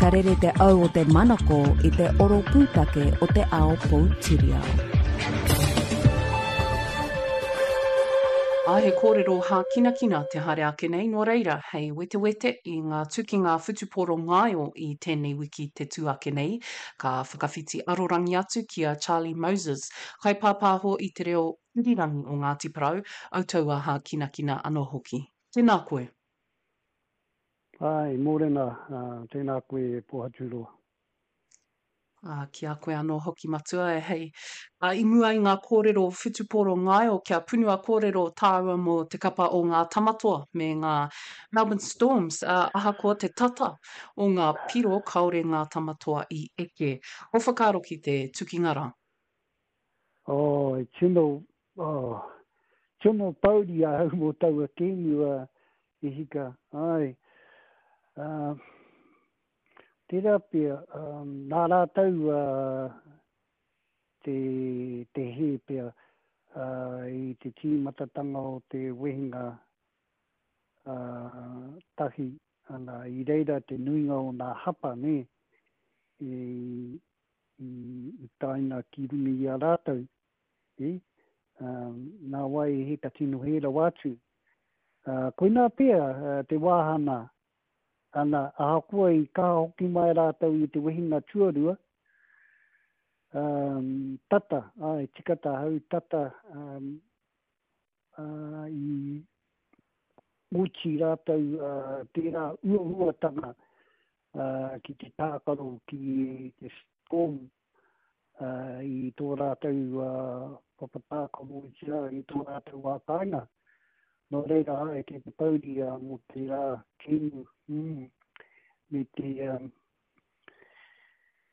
Ka rere te au o te manako i te oro pūtake o te ao poutiriao. Ā, he kōrero hākinakina te haere ake nei, nō reira, hei wetewete i ngā tukinga whutupōro ngaio i tēnei wiki te tū ake nei, ka whakawhiti arorangi atu ki a Charlie Moses, kaipāpāho i te reo irirangi o Ngāti Porou, autaua hākinakina anō hoki. Tēnā koe. Āe, mōrena, tēnā koe e Pohaturoa. Ā, ki a koe anō hoki matua e hei. Ā, i mua i ngā kōrero whutupōro ngaio kia punua kōrero tāua mō te kapa o ngā Tamatoa me ngā Melbourne Storms, ā, ahakoa te tata o ngā piro kāore ngā Tamatoa i eke. Ō whakaaro ki te tukinga rā? Oh, e tino, oh, tino pouri ahau mō taua kēmu, ā, e hika, āe. Ā, Tērā pea, nā rātou te, te hē pea i te tīmatatanga o te wehenga tahi, ana, i reira te nuinga o nā hapa, nē, i, i, i taina ki runga i a rātou, ē, nā wai he ka tino hē rawa atu. Koinā pea te wāhana Ana, ahakoa i kaha hoki mai rātou i te wehinga tuarua, um, tata, āe, tika tāhau, tata um, uh, i oti rātou uh, tērā uauatanga uh, ki te tākaro ki te Storm i tō rātou papa tākaro otirā i tō rātou wā kāinga. Nō reira, āe, kei te pouri mō tērā kēmu, mm, me te,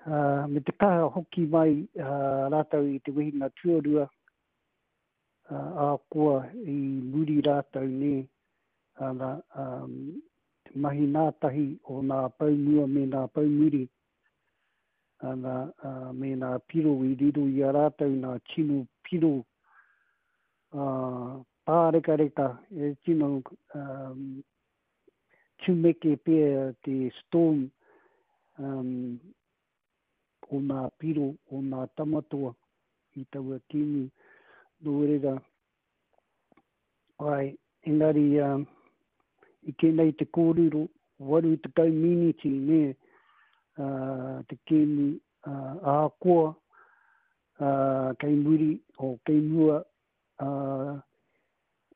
uh, me te kaha hoki mai uh, rātou i te wehinga tuarua, uh, ahakoa i muri rātou nē, ana, um, te mahi nātahi o nā pou mua me nā pou muri, Ana, ā, me nā piro i riro i a rātou nā tino piro, ā, pārekareka, e tino, ā, tumeke pea te storm, ā, o nā piro, o nā tamatoa i taua kēmu. Nō reira, Āe, engari i kē nei te kōrero, 80 miniti, nē, te kēmu, ahakoa kei muri, o kei mua,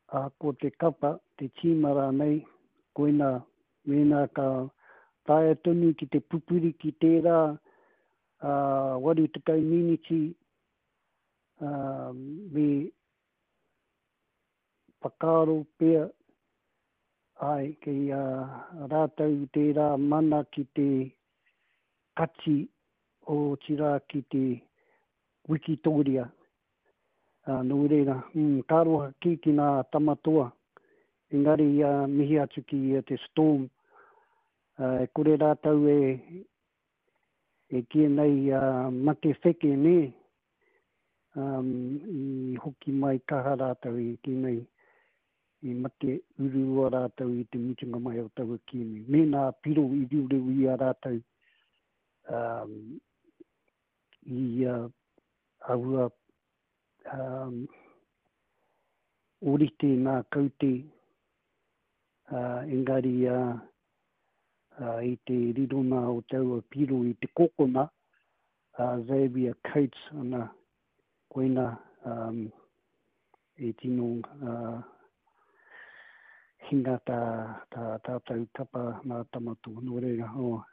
ahakoa te kapa, te tīma rānei, koinā, mēnā ka taea tonu ki te pupuri ki tērā 80 miniti, me whakaaro pea, āe, kei a rātou tērā mana ki te kati, otirā ki te wikitōria. Nō reira, ka aroha kē ki ngā tama toa, engari mihi atu ki te Storm, e kore rātou e e kīia nei mate wheke nē, i hoki mai kaha rātou i kī nei, i mate ururoa rātou i te mutunga mai o taua kēmu. Mēnā piro i riureu i a rātou i aua ōrite ngā kaute, engari i te rirona o taua piro i te kokona, a Xavier Coates ana, koina e tino hinga tā tātou kapa nā Tamato. Nō reira, oh,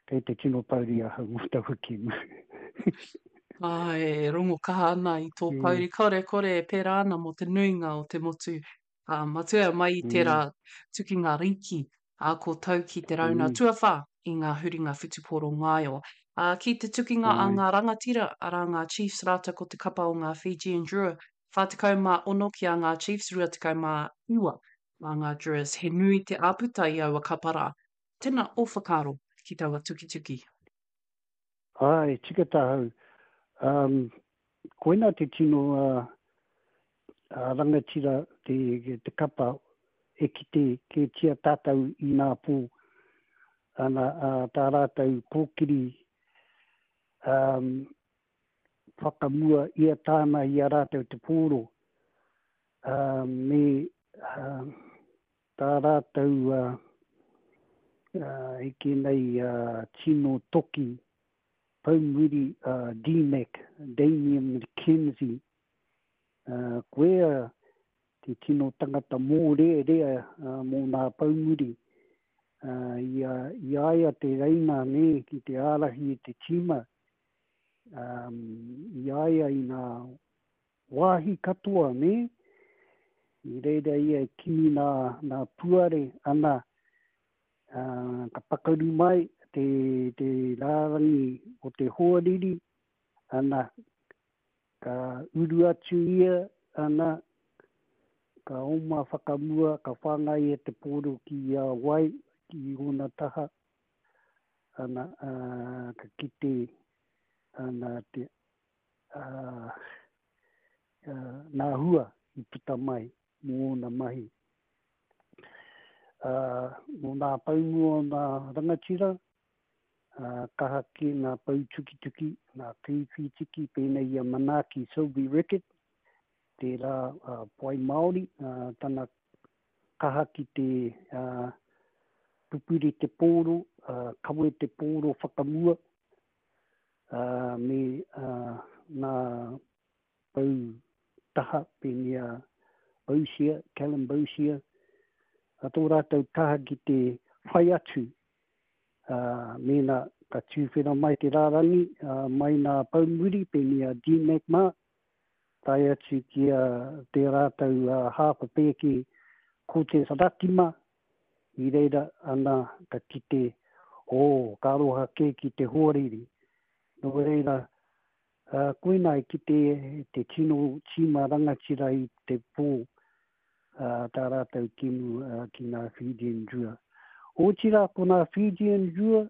kei te tino pouri ahau mō taua kēmu. Āe, e rongo kaha ana i tō pouri. Kāore e kore e pērā ana mō te nuinga o te motu. Ā, matua mai i tērā tukinga rīki, ā, ko tau ki te rauna tuawhā i ngā huringa whutupōro ngaio. Ā, ki te tukinga a ngā rangatira, arā ngā Chiefs rātou ko te kapa o ngā Fijian Drua, 46 ki a ngā Chiefs, 29 mā ngā Druas. He nui te āputa i aua kapa rā. Tēnā ō whakaaro ki taua tukituki. Āe, tika tāhau. Um, koina te tino uh, uh, rangatira te, te kapa e kite kētia tātou i nā pō. Ana, tā rātou kōkiri whakamua ia tāna i a rātou te pōro, me tā rātou e kī nei tino toki poumuri D-Mac, Damian McKenzie, koia te tino tangata mōrearea mō nā poumuri. I a ia te reina nē ki te ārahi i te tīma, i a ia i nā wāhi katoa nē, i reira ia e kimi nā, nā puare ana, ka pakaru mai te, te rārangi o te hoariri, ana, Ka uru atu ia, ana, ka oma whakamua, ka whāngai e te pōro ki a Wai, ki ōna taha, ana, ā, ka kite, ana, te, ā, ā, nā hua i puta mai mō ōna mahi. Ā, mō nā poumu o nā rangatira, ā, kaha kē ngā pou tukituki, ngā kaiwhītiki pēnei i a Manaaki Selby Rickit, tērā poai Māori, tana kaha ki te pupuri te pōro, kawe te pōro whakamua, me ngā pou taha pēnei a Boshier, Callum Boshier, tō rātou kaha ki te whai atu ā, mēnā ka tūwhera mai te rārangi mai nā Poumuri, pēnei a DMAC mā, tae atu ki a te rātou hāpa pēke Cortez Ratima, i reira ana ka kite, ō, ka aroha kē ki te hoariri. Nō reira, koinā i kite te tino tīma rangatira i te pō, tā rātou kēmu ki ngā Fijian Drua. Otirā ko ngā Fijian Drua,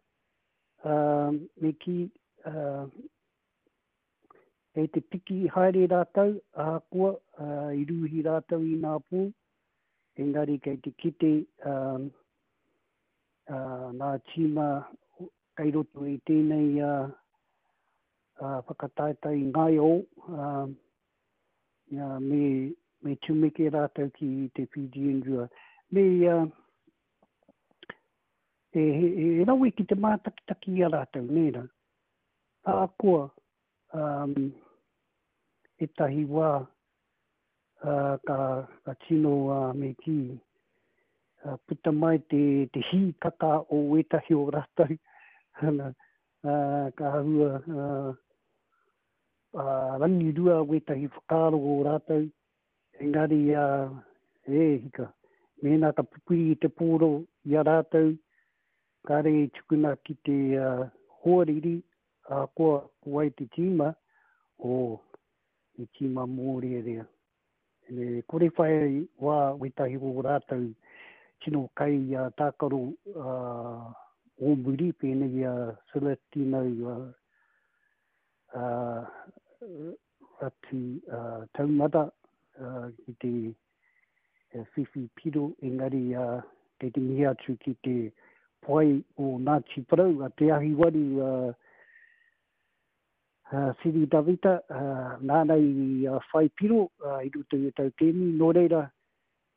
me kī, kei te piki haere rātou, ahakoa i rūhi rātou i ngā pō, engari kei te kite ngā tīma kei roto i tēnei whakataetae ngaio, Ia, me, me tumeke rātou ki te Fijian Drua. Me ia, e, he, he rawe ki te mātakitaki i a rātou, nē rā. Ahakoa, um, ētahi wā, uh, ka, ka tino, uh, me kī, uh, puta mai te, te hīkaka o ētahi o rātou, ana, uh, ka āhua, uh, Ā, rangirua wētahi whakaaro o rātou, engari, ā, e hika, mēnā ka pupuri i te pōro i a rātou, kāre i tukuna ki te hoariri, ahakoa ko wai te tīma, ō, he tīma mōrearea. E kore whai wā wētahi o rātou tino kai tākaro o muri, pēnei i a Celestino Ratu Taumata ki te whiwhi piro, engari kei te mihi atu ki te poai o Ngāti Porou, a Te Ahiwaru Siri Davita, nāna i whai piro i roto i tau kēmu, nō reira,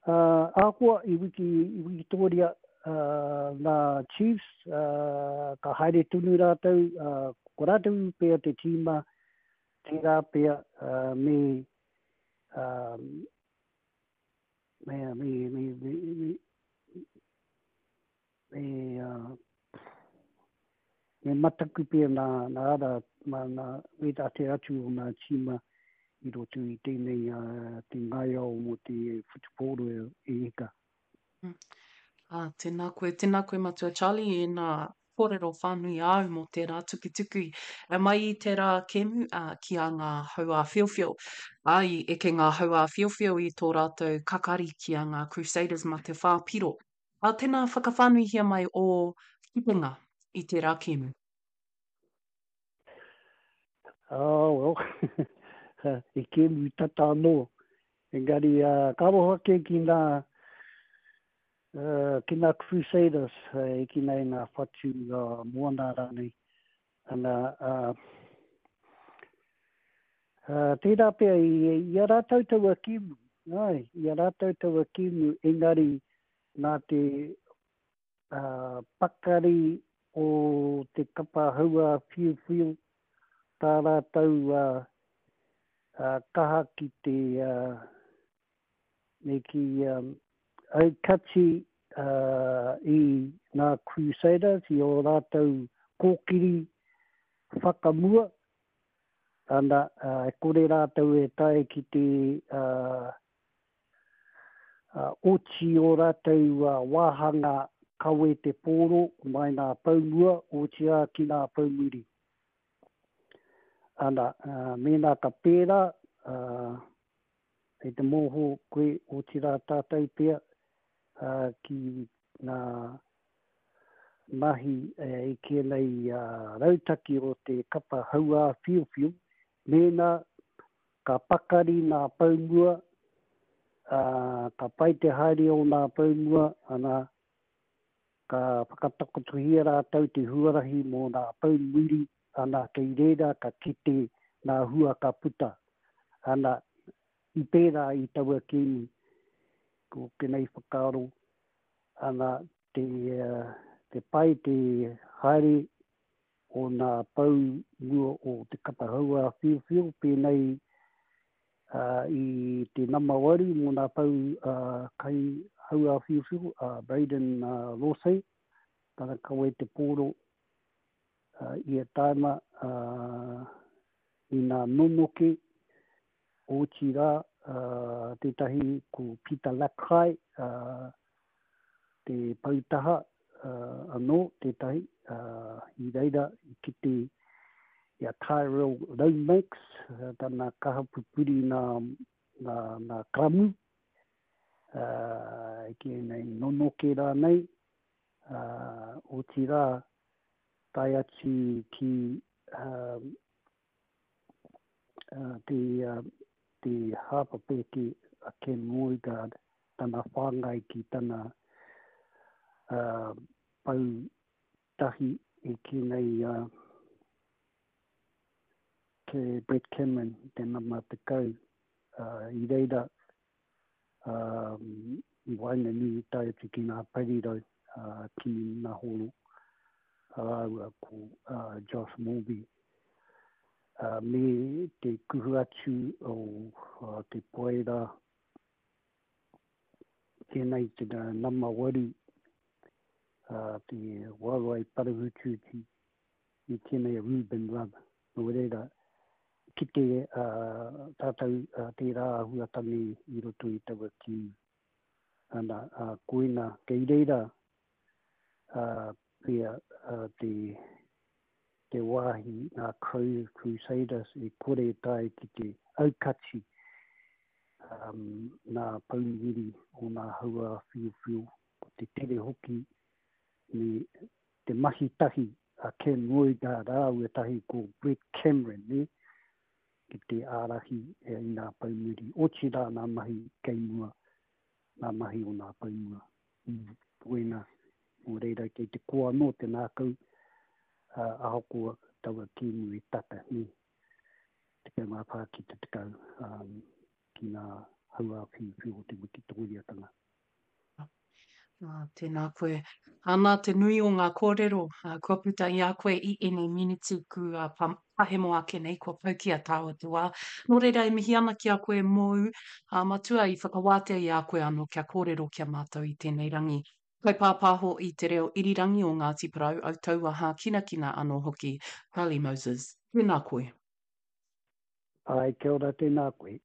ahakoa i wiki, i Wikitōria ngā Chiefs, ka haere tonu rātou, ko rātou pea te tīma, tērā pea me, me, me, me, me, me, Me, me mataku pea nā, nā ara, mā, nā wētā te atu o nā tīma i roto i tēnei te ngaiao mō te whutupōro e eka. Ā, tēnā koe, tēnā koe Matua Charlie i ēnā kōrero whānui āu mō tērā tukituku e mai i tērā kēmu, ā, ki a Ngā Hauāwhiowhio. Ā, i eke Ngā Hauāwhiowhio i tō rātou kakari ki a Ngā Crusaders mā te whā piro. Ā, tēnā whakawhānuihia mai ō kitenga i tērā kēmu. Oh, well, he kēmu tata anō. Engari, ka aroha kē ki ngā, Ki ngā Crusaders, e kī nei ngā whatu moana rānei, ana, tērā pea i a rātou taua kēmu, āe, i a rātou taua kēmu, engari nā te pakari o te kapa hauā whiuwhiu, tā rātou kaha ki te me kī, aukati i ngā Crusaders i ō rātou kōkiri whakamua, ana, e kore rātou e tae ki te oti ō rātou wāhanga kawe te pōro mai ngā pou mua, otirā ki ngā pou muri. Ana, mēnā ka pērā, Kei te mōhio koe, otirā tātou pea, ki ngā mahi i kīia nei rautaki o te kapa hauā whiowhio, mēnā ka pakari ngā pou mua, ka pai te haere o ngā pou mua, ana, ka whakatakotohia rātou te huarahi mō ngā pou muri, ana, kei reira ka kite ngā hua ka puta. Ana, i pērā i taua kēmu, ko tenei whakaaro, ana, te, te pai te haere o nā pou mua o te kapa hauā whiowhio, pēnei i te nama waru mō nā pou kai hauā whiowhio, a Braden Lawsey, tana kawe te pōro ia taima i nā nonoke, otirā tētahi ko Peter Lakai, te poutaha anō tētahi, i reira i kite i a Tyrell Lomax, tana kaha pupuri nā, nā, nā karamu, e kīia nei nonoke rānei, otirā tae atu ki te, te hāpa pēke a Ken Roigard, tana whāngai ki tana pou tahi e kī nei a ke Brett Cameron, te nama 10, i reira i waenganui tae atu ki ngā parirau ki Nahoro rāua ko Josh Morby me te kuhu atu o te poera tēnei te nama waru te waewae parahututi i tēnei Ruben Love. Nō reira, kite tātou tērā āhuatanga i roto i taua kī. Ana, koina, kei reira pea te, te wāhi ngā Crusaders e kore e tae ki te aukati ngā pouwiri o ngā hauā whiowhio, ko te tere hoki me te mahi tahi a Ken Roygar rāua tahi ko Brett Cameron, nē, ki te ārahi i ngā pou muri, otirā ngā mahi kei mua, ngā mahi o ngā pou mua. Koina, nō reira kei te koa anō te ngākau, ahakoa taua kēmu e tata, nē, 14 ki te 10, ki ngā hauā whiuwhiu o te wikitōriatanga. Ā, tēnā koe. Ana te nui o ngā kōrero kua puta i a koe i ēnei miniti kua pahemo ake nei, kua pau ki a tāua te wā. Nō reira e mihi ana ki a koe mōu, ā, matua i whakawātea i a koe anō kia kōrero ki a mātou i tēnei rangi. Kaipāpāho i te reo irirangi o Ngāti Porou, Autaua hākinakina anō hoki, Charlie Moses. Tēnā koe. Āe, kia ora, tēnā koe.